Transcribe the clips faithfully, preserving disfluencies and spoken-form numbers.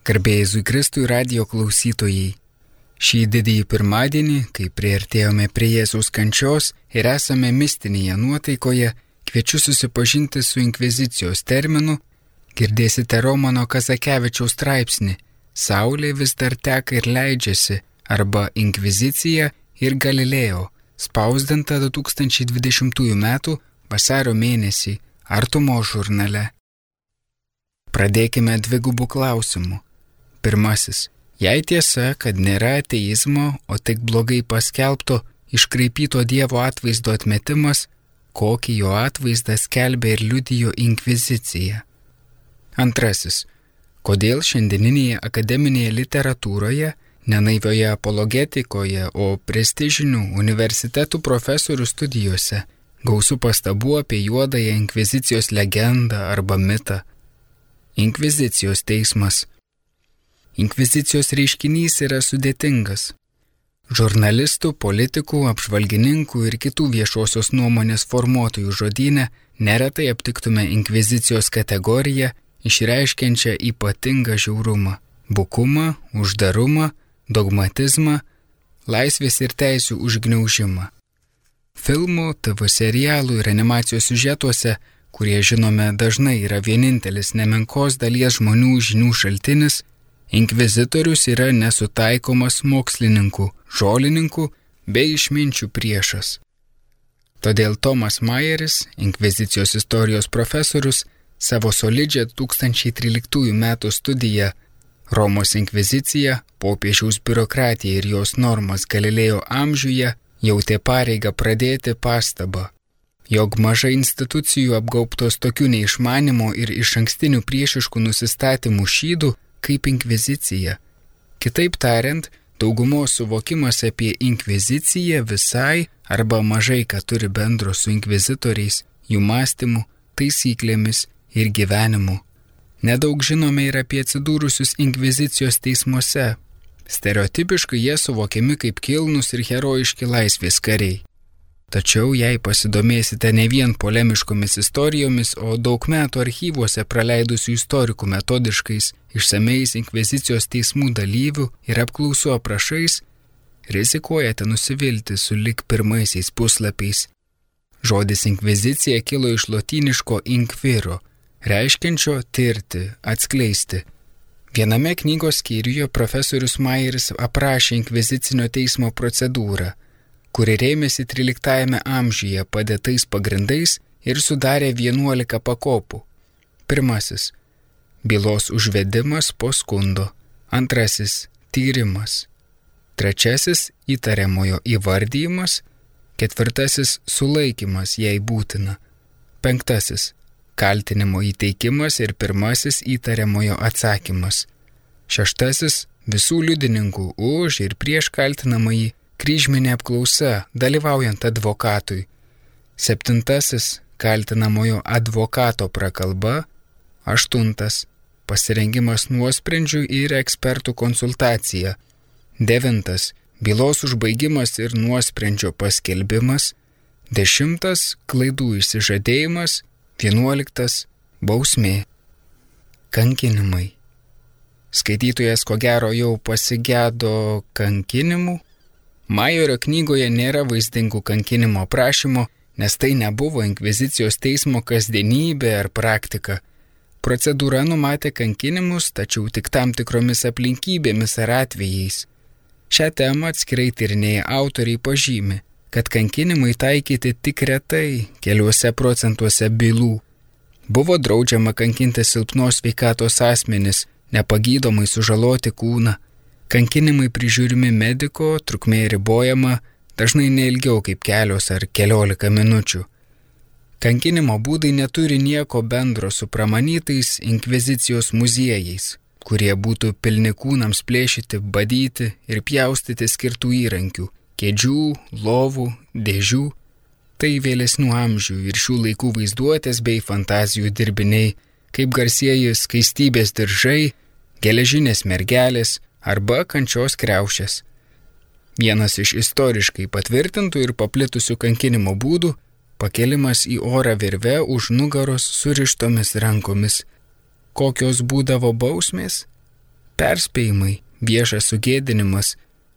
Garbė Jėzui Kristui radijo klausytojai. Šį didįjį pirmadienį, kai priartėjome prie Jėzaus kančios ir esame mistinėje nuotaikoje, kviečiu susipažinti su inkvizicijos terminu, girdėsite Romano Kazakevičiaus straipsnį Saulė vis dar teka ir leidžiasi arba Inkvizicija ir Galilėjo, spausdinta du tūkstančiai dvidešimtųjų metų vasario mėnesį Artumos žurnale. Pradėkime dvigubų klausimų. Pirmasis. Jei tiesa, kad nėra ateizmo, o tik blogai paskelbto, iškraipyto Dievo atvaizdo atmetimas, kokį jo atvaizdą skelbė ir liudijo Inkvizicija. Antrasis. Kodėl šiandieninėje akademinėje literatūroje, nenaivioje apologetikoje, o prestižinių universitetų profesorių studijose gausu pastabų apie juodąją Inkvizicijos legendą arba mitą? Inkvizicijos teismas. Inkvizicijos reiškinys yra sudėtingas. Žurnalistų, politikų, apžvalgininkų ir kitų viešosios nuomonės formuotojų žodyne neretai aptiktume inkvizicijos kategoriją, išreiškiančią ypatingą žiaurumą, bukumą, uždarumą, dogmatizmą, laisvės ir teisių užgniaužimą. Filmų, T V serialų ir animacijos siužetuose, kurie žinome dažnai yra vienintelis nemenkos dalies žmonių žinių šaltinis, inkvizitorius yra nesutaikomas mokslininkų, žolininkų bei išminčių priešas. Todėl Tomas Majeris, inkvizicijos istorijos profesorius, savo solidžią du tūkstančiai tryliktųjų metų studiją Romos inkvizicija, popiežiaus biurokratija ir jos normas Galilėjo amžiuje jautė pareigą pradėti pastabą, jog mažai institucijų apgaubtos tokių neišmanimo ir išankstinių priešiškų nusistatymų šydų kaip inkvizicija. Kitaip tariant, daugumos suvokimas apie inkviziciją visai arba mažai ką turi bendro su inkvizitoriais, jų mąstymu, taisyklėmis ir gyvenimu. Nedaug žinome ir apie atsidūrusius inkvizicijos teismuose. Stereotipiškai jie suvokiami kaip kilnūs ir herojiški laisvės kariai. Tačiau jei pasidomėsite ne vien polemiškomis istorijomis, o daug metų archyvuose praleidusių istorikų metodiškais, išsameis inkvizicijos teismų dalyvių ir apklausų aprašais, rizikuojate nusivilti sulig pirmaisiais puslapiais. Žodis inkvizicija kilo iš lotyniško inquiro, reiškiančio tirti, atskleisti. Viename knygos skyriuje profesorius Majeris aprašė inkvizicinio teismo procedūrą, kuri rėmėsi tryliktajame amžiuje padėtais pagrindais ir sudarė vienuolika pakopų. Pirmasis – bylos užvedimas po skundo. Antrasis – tyrimas. Trečiasis – įtariamojo įvardijimas. Ketvirtasis – sulaikymas, jei būtina. Penktasis – kaltinimo įteikimas ir pirmasis įtariamojo atsakymas. Šeštasis – visų liudininkų už ir prieš kaltinamąjį kryžminė apklausa, dalyvaujant advokatui. Septintasis – kaltinamojo advokato prakalba. Aštuntas – pasirengimas nuosprendžių ir ekspertų konsultacija. Devintas – bylos užbaigimas ir nuosprendžio paskelbimas. Dešimtas – klaidų išsižadėjimas. Vienuoliktas – bausmė. Kankinimai. Skaitytojas ko gero jau pasigedo kankinimų. Majerio knygoje nėra vaizdingų kankinimo aprašymo, nes tai nebuvo inkvizicijos teismo kasdienybė ar praktika. Procedūra numatė kankinimus, tačiau tik tam tikromis aplinkybėmis ar atvejais. Šią temą atskirai tyrinėję autoriai pažymi, kad kankinimai taikyti tik retai, keliuose procentuose bylų. Buvo draudžiama kankinti silpnos sveikatos asmenis, nepagydomai sužaloti kūną. Kankinimai prižiūrimi mediko, trukmė ribojama, dažnai neilgiau kaip kelios ar keliolika minučių. Kankinimo būdai neturi nieko bendro su pramanytais inkvizicijos muziejais, kurie būtų pilni kūnams plėšyti, badyti ir pjaustyti skirtų įrankių, kėdžių, lovų, dėžių. Tai vėlesnių amžių ir šių laikų vaizduotės bei fantazijų dirbiniai, kaip garsieji skaistybės diržai, geležinės mergelės arba kančios kriaušės. Vienas iš istoriškai patvirtintų ir paplitusių kankinimo būdų – pakelimas į orą virve už nugaros surištomis rankomis. Kokios būdavo bausmės? perspėjimai, viešas sugėdinimas,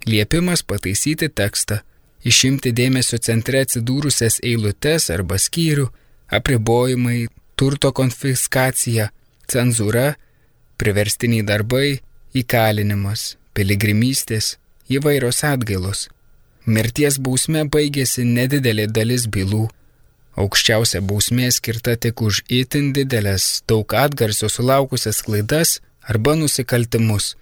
liepimas pataisyti tekstą, išimti dėmesio centre atsidūrusias eilutes arba skyrių, apribojimai, turto konfiskacija, cenzūra, priverstiniai darbai, įkalinimas, piligrimystės, įvairios atgailos. Mirties bausme baigėsi nedidelė dalis bylų. Aukščiausia bausmė skirta tik už itin didelės, daug atgarsio sulaukusias klaidas arba nusikaltimus.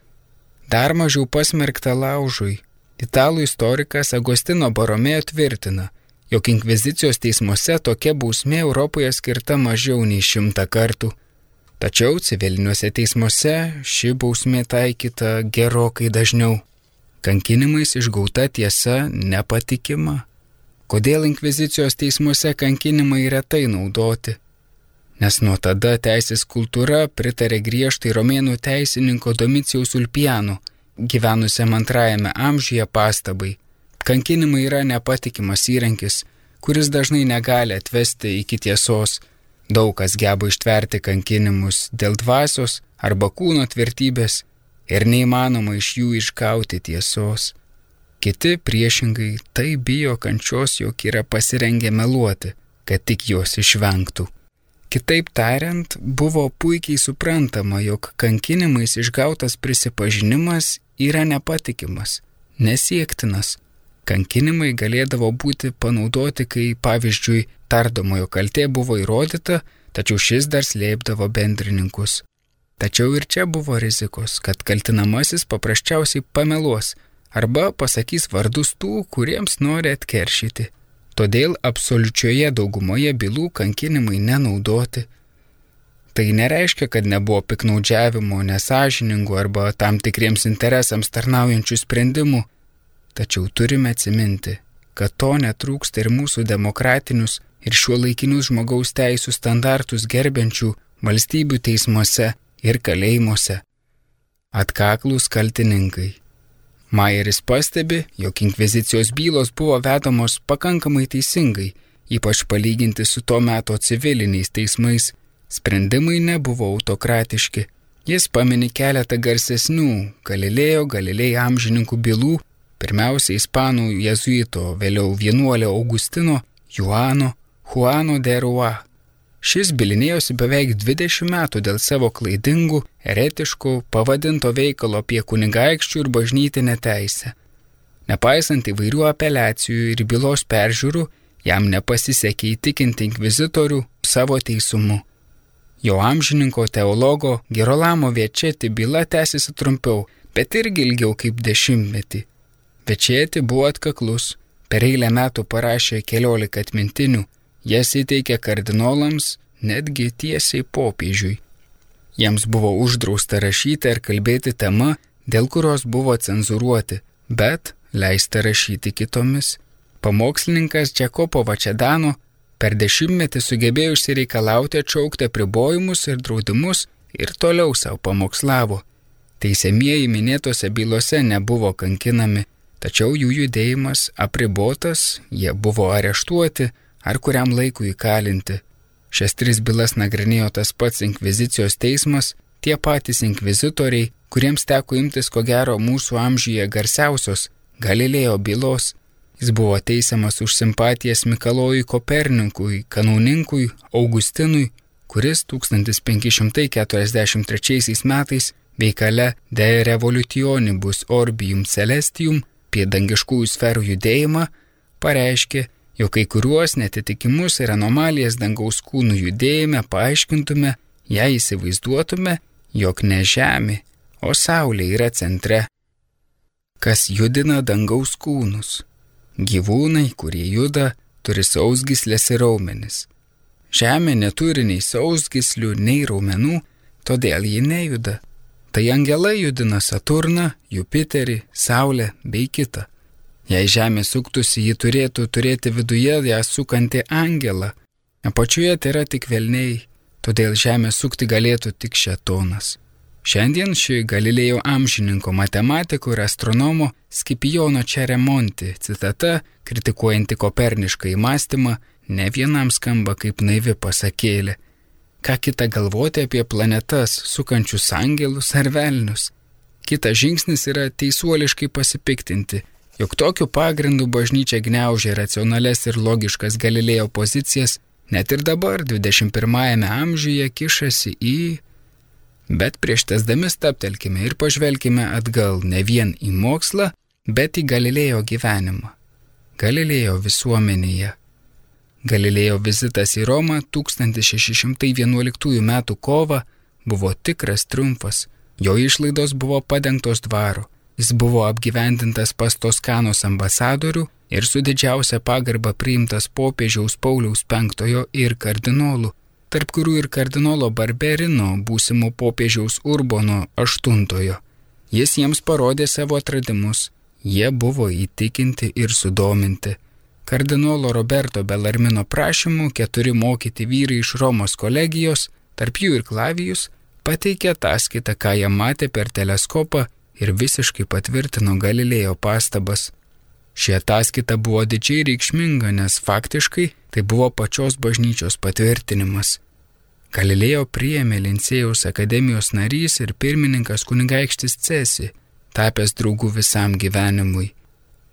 Dar mažiau pasmerkta laužui. Italų istorikas Agostino Boromeo tvirtina, jog inkvizicijos teismuose tokia bausmė Europoje skirta mažiau nei šimtą kartų. Tačiau civiliniuose teismuose ši bausmė taikyta gerokai dažniau. Kankinimais išgauta tiesa nepatikima. Kodėl inkvizicijos teismuose kankinimai retai naudoti? Nes nuo tada teisės kultūra pritarė griežtai romėnų teisininko Domicijaus Ulpiano, gyvenusiam antrajame amžiuje, pastabai. Kankinimai yra nepatikimas įrankis, kuris dažnai negali atvesti iki tiesos. Daug kas geba ištverti kankinimus dėl dvasios arba kūno tvirtybės ir neįmanoma iš jų išgauti tiesos. Kiti priešingai tai bijo kančios, jog yra pasirengę meluoti, kad tik jos išvengtų. Kitaip tariant, buvo puikiai suprantama, jog kankinimais išgautas prisipažinimas yra nepatikimas, nesiektinas. Kankinimai galėdavo būti panaudoti, kai, pavyzdžiui, tardomojo kaltė buvo įrodyta, tačiau šis dar slėpdavo bendrininkus. Tačiau ir čia buvo rizikos, kad kaltinamasis paprasčiausiai pameluos arba pasakys vardus tų, kuriems nori atkeršyti. Todėl absoliučioje daugumoje bylų kankinimai nenaudoti. Tai nereiškia, kad nebuvo piknaudžiavimo, nesąžiningų arba tam tikriems interesams tarnaujančių sprendimų. Tačiau turime atsiminti, kad to netrūksta ir mūsų demokratinius ir šiuolaikinius žmogaus teisų standartus gerbiančių valstybių teismuose ir kalėjimuose. Atkaklūs kaltininkai. Majeris pastebi, jog inkvizicijos bylos buvo vedamos pakankamai teisingai, ypač palyginti su to meto civiliniais teismais. Sprendimai nebuvo autokratiški. Jis pamini keletą garsesnių Galilėjo Galilei amžininkų bylų, pirmiausia ispanų jėzuito, vėliau vienuolio Augustino, Juano, Juano de Rua. Šis bylinėjosi beveik dvidešimt metų dėl savo klaidingų, eretiškų, pavadinto veikalo apie kunigaikščių ir bažnytinę teisę. Nepaisant įvairių apeliacijų ir bylos peržiūrų, jam nepasisekė įtikinti inkvizitorių savo teisumu. Jo amžininko teologo Gerolamo Večeti byla tęsiasi trumpiau, bet irgi ilgiau kaip dešimtmetį. Večeti buvo atkaklus, per eilę metų parašė keliolika atmintinių, jas įteikė kardinolams, netgi tiesiai popiežiui. Jiems buvo uždrausta rašyti ar kalbėti tema, dėl kurios buvo cenzūruoti, bet leista rašyti kitomis. Pamokslininkas Džakopo Vačedano per dešimtmetį sugebėjo išsireikalauti atšaukti apribojimus ir draudimus ir toliau savo pamokslavo. Teisiamieji minėtose bylose nebuvo kankinami, tačiau jų judėjimas apribotas, jie buvo areštuoti ar kuriam laikui įkalinti. Šias tris bylas nagrinėjo tas pats inkvizicijos teismas, tie patys inkvizitoriai, kuriems teko imtis ko gero mūsų amžiuje garsiausios Galilėjo bylos. Jis buvo teisiamas už simpatijas Mikalojui Kopernikui, kanauninkui Augustinui, kuris tūkstantis penki šimtai keturiasdešimt trečiaisiais metais veikale De Revolutionibus Orbium Celestium apie dangiškųjų sferų judėjimą pareiškė, jog kai kuriuos netitikimus ir anomalijas dangaus kūnų judėjime paaiškintume, jei įsivaizduotume, jog ne Žemė, o Saulė yra centre. Kas judina dangaus kūnus? Gyvūnai, kurie juda, turi sausgyslės ir raumenis. Žemė neturi nei sausgyslių, nei raumenų, todėl ji nejuda. Tai angelai judina Saturną, Jupiterį, Saulę bei kitą. Jei Žemė suktųsi, ji turėtų turėti viduje ją sukantį angelą. Apačioje tai yra tik velniai, todėl Žemė sukti galėtų tik šėtonas. Šiandien ši Galilėjo amžininko matematiko ir astronomo Scipijono Ceremonti citata, kritikuojanti kopernišką įmąstymą, ne vienam skamba kaip naivi pasakėlė. Ką kita galvoti apie planetas, sukančius angelus ar velnius? Kitas žingsnis yra teisuoliškai pasipiktinti, jog tokiu pagrindu bažnyčia gniaužia racionales ir logiškas Galilėjo pozicijas, net ir dabar dvidešimt pirmajame amžiuje kišasi į... Bet prieš tesdami stabtelkime ir pažvelkime atgal ne vien į mokslą, bet į Galilėjo gyvenimą. Galilėjo visuomenėje. Galilėjo vizitas į Romą tūkstantis šeši šimtai vienuoliktųjų metų kovą buvo tikras triumfas. Jo išlaidos buvo padengtos dvaro. Jis buvo apgyvendintas pas Toskanos ambasadorių ir su didžiausia pagarba priimtas popiežiaus Pauliaus penktojo ir kardinolų, tarp kurių ir kardinolo Barberino, būsimo popiežiaus Urbono aštuntojo. Jis jiems parodė savo atradimus. Jie buvo įtikinti ir sudominti. Kardinolo Roberto Belarmino prašymu keturi mokyti vyrai iš Romos kolegijos, tarp jų ir Klavijus, pateikė ataskaitą, ką jie matė per teleskopą ir visiškai patvirtino Galilėjo pastabas. Ši ataskaita buvo didžiai reikšminga, nes faktiškai tai buvo pačios bažnyčios patvirtinimas. Galilėjo priėmė Lincėjaus akademijos narys ir pirmininkas kunigaikštis Cesi, tapęs draugų visam gyvenimui.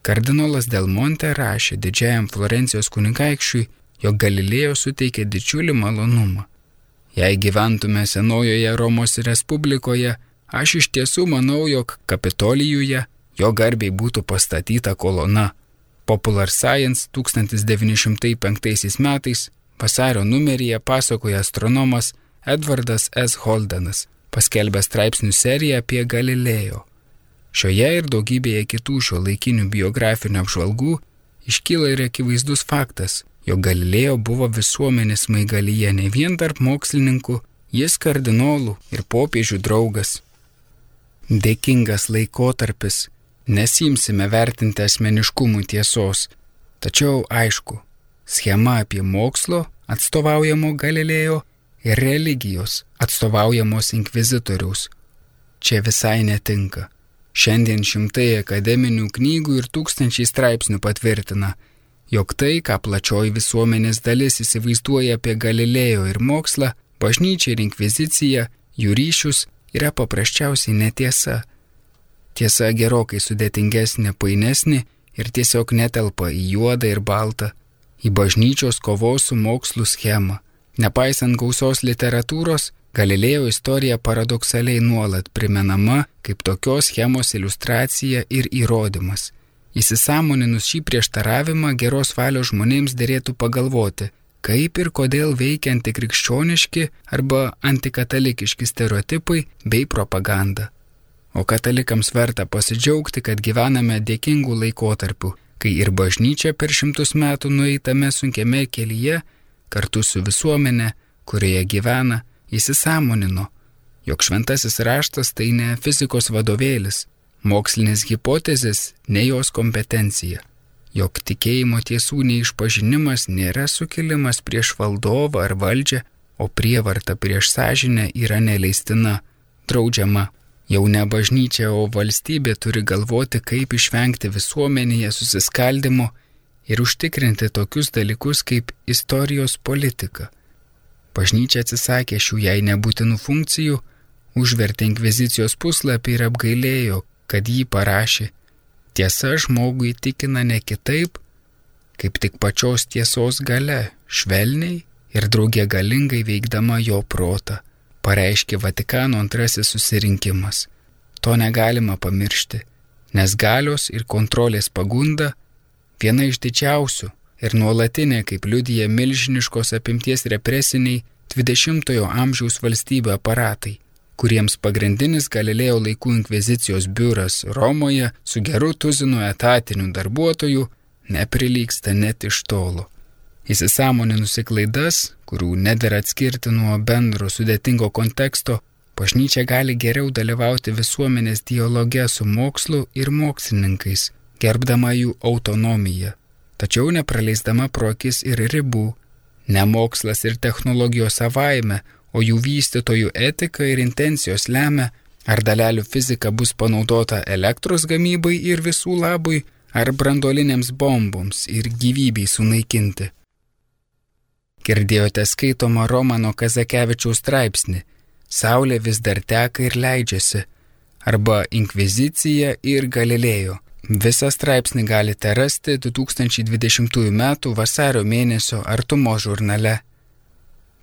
Kardinolas Del Monte rašė didžiajam Florencijos kunigaikščiui, jog Galilėjo suteikė didžiulį malonumą. Jei gyventume senojoje Romos Respublikoje, aš iš tiesų manau, jog Kapitolijuje jo garbei būtų pastatyta kolona. Popular Science tūkstantis devyni šimtai penktaisiais metais vasario numeryje pasakoja astronomas Edvardas S. Holdenas, paskelbęs straipsnių seriją apie Galilėjo. Šioje ir daugybėje kitų šio laikinių biografinių apžvalgų iškyla ir akivaizdus faktas, jog Galilėjo buvo visuomenės smaigalyje ne vien tarp mokslininkų, jis kardinolų ir popiežių draugas. Dėkingas laikotarpis, nesimsime vertinti asmeniškumų tiesos, tačiau aišku, schema apie mokslo atstovaujamo Galilėjo ir religijos atstovaujamos inkvizitoriaus čia visai netinka. Šiandien šimtai akademinių knygų ir tūkstančiai straipsnių patvirtina, jog tai, ką plačioji visuomenės dalis įsivaizduoja apie Galilėjo ir mokslą, bažnyčią ir inkviziciją, jų ryšius, yra paprasčiausiai netiesa. Tiesa gerokai sudėtingesnė, painesnė ir tiesiog netelpa į juodą ir baltą, į bažnyčios kovos su mokslu schemą. Nepaisant gausios literatūros, Galilėjo istorija paradoksaliai nuolat primenama kaip tokios schemos iliustracija ir įrodymas. Įsisąmoninus šį prieštaravimą geros valios žmonėms derėtų pagalvoti, kaip ir kodėl veikia antikrikščioniški arba antikatalikiški stereotipai bei propaganda. O katalikams verta pasidžiaugti, kad gyvename dėkingų laikotarpių, kai ir bažnyčia per šimtus metų nueitame sunkiame kelyje, kartu su visuomenė, kurioje gyvena, įsisąmonino, jog šventasis raštas tai ne fizikos vadovėlis, mokslinės hipotezės ne jos kompetencija, jog tikėjimo tiesų neišpažinimas nėra sukilimas prieš valdovą ar valdžią, o prievarta prieš sąžinę yra neleistina, draudžiama. Jau ne bažnyčia, o valstybė turi galvoti, kaip išvengti visuomenėje susiskaldimo ir užtikrinti tokius dalykus kaip istorijos politika. Bažnyčia atsisakė šių jai nebūtinų funkcijų, užvertė inkvizicijos puslapį ir apgailėjo, kad jį parašė. Tiesa žmogų įtikina ne kitaip, kaip tik pačios tiesos galia, švelniai ir drauge galingai veikdama jo protą, pareiškė Vatikano antrasis susirinkimas. To negalima pamiršti, nes galios ir kontrolės pagunda viena iš didžiausių ir nuolatinė, kaip liudija milžiniškos apimties represiniai dvidešimtojo amžiaus valstybių aparatai, kuriems pagrindinis Galilėjo laikų inkvizicijos biuras Romoje su geru tuzinu etatinių darbuotojų neprilygsta net iš tolo. Įsisąmoninusi klaidas, kurių nedera atskirti nuo bendro sudėtingo konteksto, bažnyčia gali geriau dalyvauti visuomenės dialoge su mokslu ir mokslininkais, gerbdama jų autonomiją, tačiau nepraleisdama pro akis ir ribų. Ne mokslas ir technologijos savaime, o jų vystytojų etika ir intencijos lemia, ar dalelių fizika bus panaudota elektros gamybai ir visų labui, ar branduolinėms bomboms ir gyvybei sunaikinti. Girdėjote skaitomą Romano Kazakevičiaus straipsnį. Saulė vis dar teka ir leidžiasi. arba Inkvizicija ir Galilėjo. Visą straipsnį galite rasti du tūkstančiai dvidešimtųjų metų vasario mėnesio Artumos žurnale.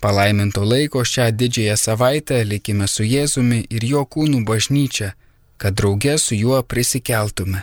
Palaiminto laiko šią didžiąją savaitę likime su Jėzumi ir jo kūnų bažnyčia, kad drauge su juo prisikeltume.